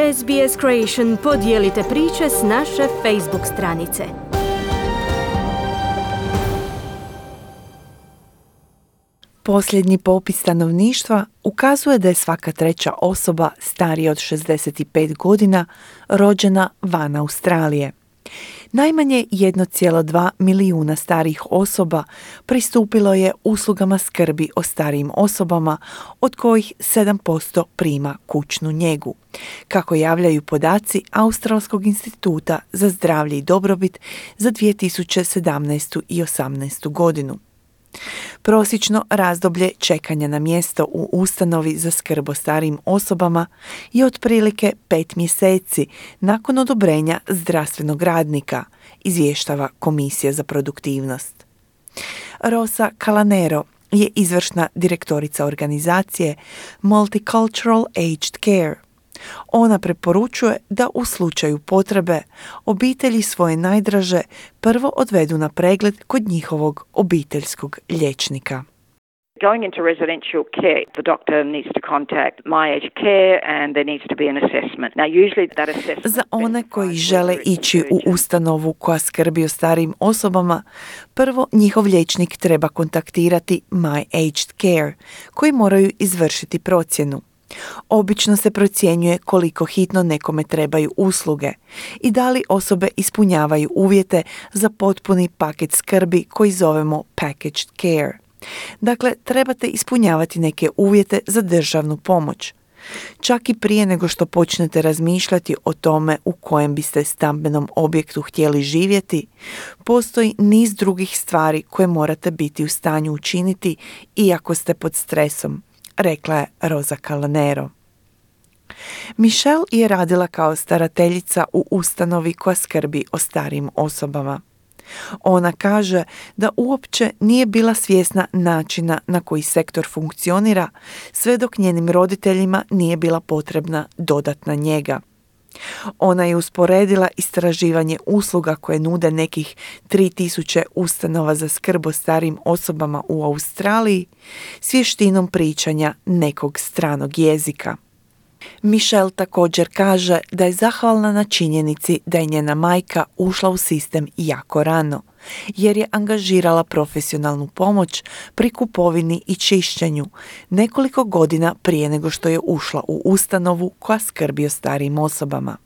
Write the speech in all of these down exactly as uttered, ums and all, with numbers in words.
S B S Creation podijelite priče s naše Facebook stranice. Posljednji popis stanovništva ukazuje da je svaka treća osoba starija od šezdeset pet godina rođena van Australije. Najmanje jedan zarez dva milijuna starijih osoba pristupilo je uslugama skrbi o starijim osobama, od kojih sedam posto prima kućnu njegu, kako javljaju podaci Australskog instituta za zdravlje i dobrobit za dvije tisuće sedamnaestu i osamnaestu godinu. Prosječno razdoblje čekanja na mjesto u ustanovi za skrb o starijim osobama je otprilike pet mjeseci nakon odobrenja zdravstvenog radnika, izvještava Komisija za produktivnost. Rosa Calanero je izvršna direktorica organizacije Multicultural Aged Care. Ona preporučuje da u slučaju potrebe obitelji svoje najdraže prvo odvedu na pregled kod njihovog obiteljskog liječnika. Going into residential care, the doctor needs to contact My Aged Care and there needs to be an assessment. Now usually that assessment... Za one koji žele ići u ustanovu koja skrbi o starijim osobama, prvo njihov liječnik treba kontaktirati My Aged Care, koji moraju izvršiti procjenu. Obično se procjenjuje koliko hitno nekome trebaju usluge i da li osobe ispunjavaju uvjete za potpuni paket skrbi koji zovemo packaged care. Dakle, trebate ispunjavati neke uvjete za državnu pomoć. Čak i prije nego što počnete razmišljati o tome u kojem biste stambenom objektu htjeli živjeti, postoji niz drugih stvari koje morate biti u stanju učiniti iako ste pod stresom, rekla je Rosa Calanero. Michelle je radila kao starateljica u ustanovi koja skrbi o starijim osobama. Ona kaže da uopće nije bila svjesna načina na koji sektor funkcionira, sve dok njenim roditeljima nije bila potrebna dodatna njega. Ona je usporedila istraživanje usluga koje nude nekih tri tisuće ustanova za skrb o starijim osobama u Australiji s vještinom pričanja nekog stranog jezika. Michelle također kaže da je zahvalna na činjenici da je njena majka ušla u sistem jako rano, jer je angažirala profesionalnu pomoć pri kupovini i čišćenju nekoliko godina prije nego što je ušla u ustanovu koja skrbi o starijim osobama.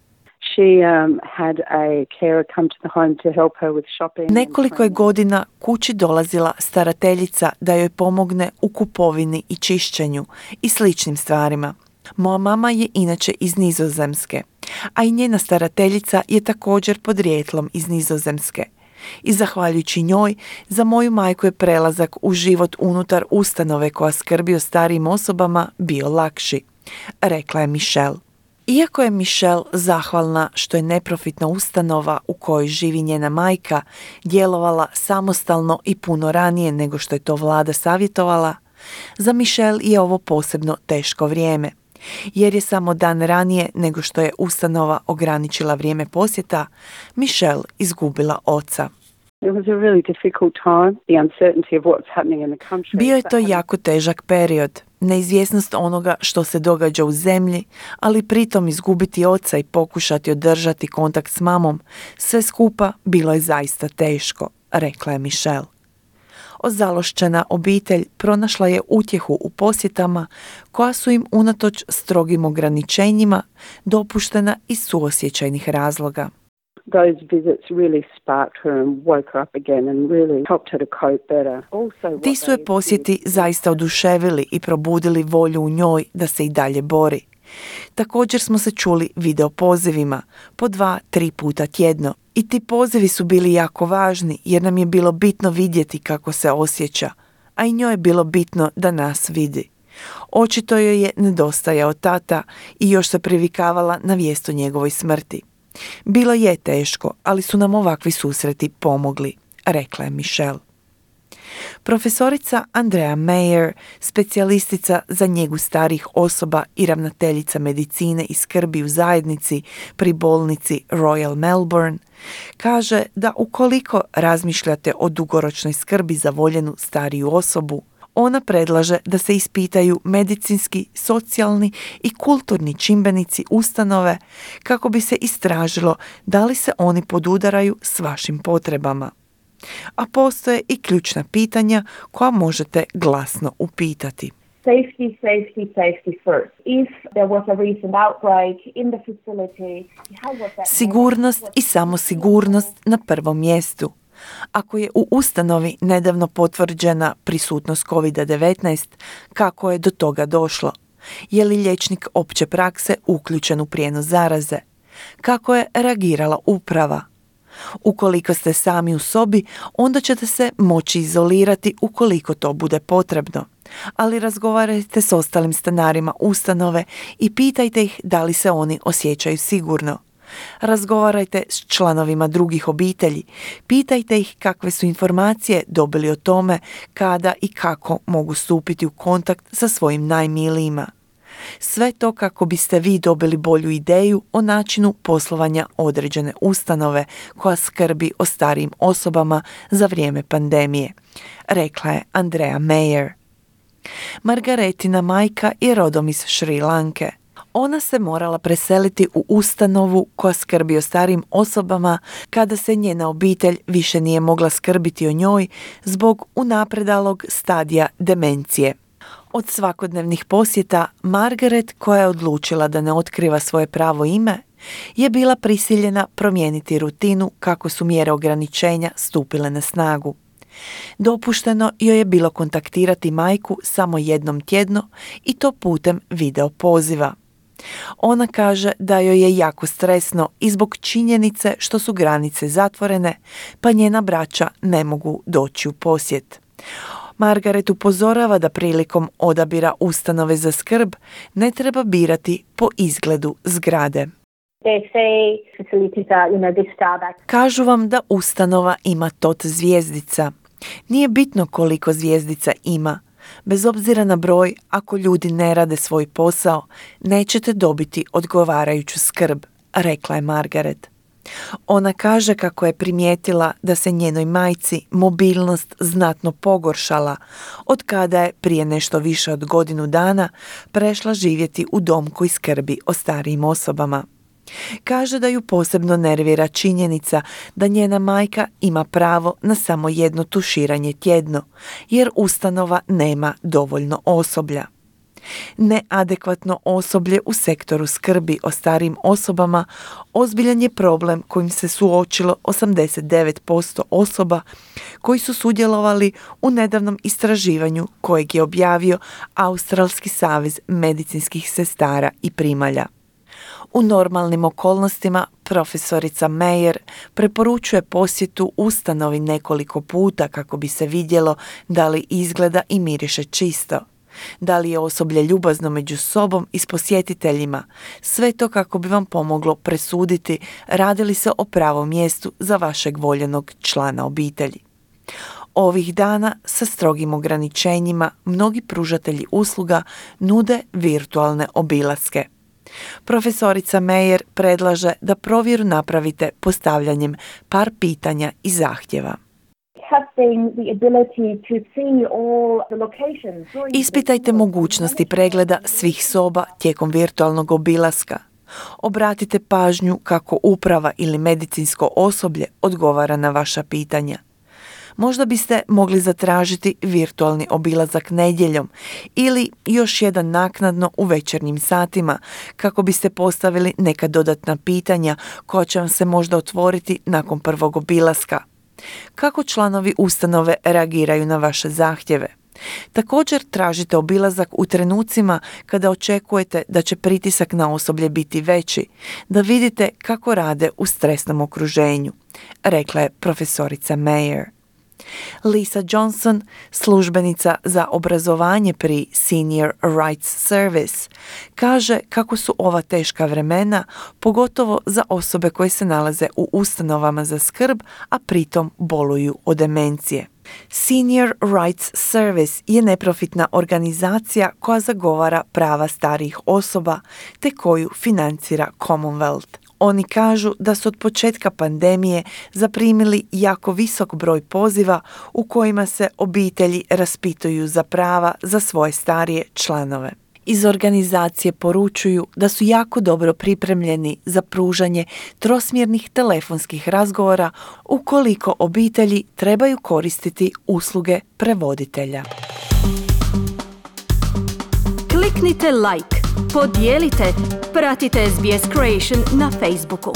Nekoliko je godina kući dolazila starateljica da joj pomogne u kupovini i čišćenju i sličnim stvarima. Moja mama je inače iz Nizozemske, a i njena starateljica je također podrijetlom iz Nizozemske. I zahvaljujući njoj, za moju majku je prelazak u život unutar ustanove koja skrbi o starijim osobama bio lakši, rekla je Michelle. Iako je Michelle zahvalna što je neprofitna ustanova u kojoj živi njena majka djelovala samostalno i puno ranije nego što je to vlada savjetovala, za Michelle je ovo posebno teško vrijeme, jer je samo dan ranije nego što je ustanova ograničila vrijeme posjeta, Michelle izgubila oca. Bio je to jako težak period, neizvjesnost onoga što se događa u zemlji, ali pritom izgubiti oca i pokušati održati kontakt s mamom, sve skupa bilo je zaista teško, rekla je Michelle. Ozalošćena obitelj pronašla je utjehu u posjetama koja su im unatoč strogim ograničenjima dopuštena iz suosjećajnih razloga. Ti su je posjeti zaista oduševili i probudili volju u njoj da se i dalje bori. Također smo se čuli video pozivima, po dva, tri puta tjedno. I ti pozivi su bili jako važni jer nam je bilo bitno vidjeti kako se osjeća, a i njoj je bilo bitno da nas vidi. Očito joj je nedostajao tata i još se privikavala na vijest o njegovoj smrti. Bilo je teško, ali su nam ovakvi susreti pomogli, rekla je Michelle. Profesorica Andrea Mayer, specijalistica za njegu starijih osoba i ravnateljica medicine i skrbi u zajednici pri bolnici Royal Melbourne, kaže da ukoliko razmišljate o dugoročnoj skrbi za voljenu stariju osobu, Ona predlaže da se ispitaju medicinski, socijalni i kulturni čimbenici ustanove kako bi se istražilo da li se oni podudaraju s vašim potrebama. A postoje i ključna pitanja koja možete glasno upitati. Safety, safety, safety first. If there was a recent outbreak in the facility, how was that? Sigurnost i samo sigurnost na prvom mjestu. Ako je u ustanovi nedavno potvrđena prisutnost kovid devetnaest, kako je do toga došlo? Je li liječnik opće prakse uključen u prijenos zaraze? Kako je reagirala uprava? Ukoliko ste sami u sobi, onda ćete se moći izolirati ukoliko to bude potrebno. Ali razgovarajte s ostalim stanarima ustanove i pitajte ih da li se oni osjećaju sigurno. Razgovarajte s članovima drugih obitelji, pitajte ih kakve su informacije dobili o tome kada i kako mogu stupiti u kontakt sa svojim najmilijima. Sve to kako biste vi dobili bolju ideju o načinu poslovanja određene ustanove koja skrbi o starijim osobama za vrijeme pandemije, rekla je Andrea Mayer. Margaretina majka je rodom iz Šri Lanke. Ona se morala preseliti u ustanovu koja skrbi o starijim osobama kada se njena obitelj više nije mogla skrbiti o njoj zbog unapredalog stadija demencije. Od svakodnevnih posjeta, Margaret, koja je odlučila da ne otkriva svoje pravo ime, je bila prisiljena promijeniti rutinu kako su mjere ograničenja stupile na snagu. Dopušteno joj je bilo kontaktirati majku samo jednom tjedno i to putem video poziva. Ona kaže da joj je jako stresno i zbog činjenice što su granice zatvorene, pa njena braća ne mogu doći u posjet. Margaret upozorava da prilikom odabira ustanove za skrb ne treba birati po izgledu zgrade. Kažu vam da ustanova ima tot zvjezdica. Nije bitno koliko zvjezdica ima. Bez obzira na broj, ako ljudi ne rade svoj posao, nećete dobiti odgovarajuću skrb, rekla je Margaret. Ona kaže kako je primijetila da se njenoj majci mobilnost znatno pogoršala od kada je prije nešto više od godinu dana prešla živjeti u dom koji skrbi o starijim osobama. Kaže da ju posebno nervira činjenica da njena majka ima pravo na samo jedno tuširanje tjedno, jer ustanova nema dovoljno osoblja. Neadekvatno osoblje u sektoru skrbi o starijim osobama ozbiljan je problem kojim se suočilo osamdeset devet posto osoba koji su sudjelovali u nedavnom istraživanju kojeg je objavio Australski savez medicinskih sestara i primalja. U normalnim okolnostima profesorica Mayer preporučuje posjetu ustanovi nekoliko puta kako bi se vidjelo da li izgleda i miriše čisto. Da li je osoblje ljubazno među sobom i s posjetiteljima, sve to kako bi vam pomoglo presuditi radi li se o pravom mjestu za vašeg voljenog člana obitelji. Ovih dana sa strogim ograničenjima mnogi pružatelji usluga nude virtualne obilaske. Profesorica Mayer predlaže da provjeru napravite postavljanjem par pitanja i zahtjeva. Ispitajte mogućnosti pregleda svih soba tijekom virtualnog obilaska. Obratite pažnju kako uprava ili medicinsko osoblje odgovara na vaša pitanja. Možda biste mogli zatražiti virtualni obilazak nedjeljom ili još jedan naknadno u večernjim satima kako biste postavili neka dodatna pitanja koja će vam se možda otvoriti nakon prvog obilaska. Kako članovi ustanove reagiraju na vaše zahtjeve? Također tražite obilazak u trenucima kada očekujete da će pritisak na osoblje biti veći, da vidite kako rade u stresnom okruženju, rekla je profesorica Mayer. Lisa Johnson, službenica za obrazovanje pri Senior Rights Service, kaže kako su ova teška vremena, pogotovo za osobe koje se nalaze u ustanovama za skrb, a pritom boluju od demencije. Senior Rights Service je neprofitna organizacija koja zagovara prava starijih osoba te koju financira Commonwealth. Oni kažu da su od početka pandemije zaprimili jako visok broj poziva u kojima se obitelji raspituju za prava za svoje starije članove. Iz organizacije poručuju da su jako dobro pripremljeni za pružanje trosmjernih telefonskih razgovora ukoliko obitelji trebaju koristiti usluge prevoditelja. Kliknite like, podijelite, pratite S B S Creation na Facebooku.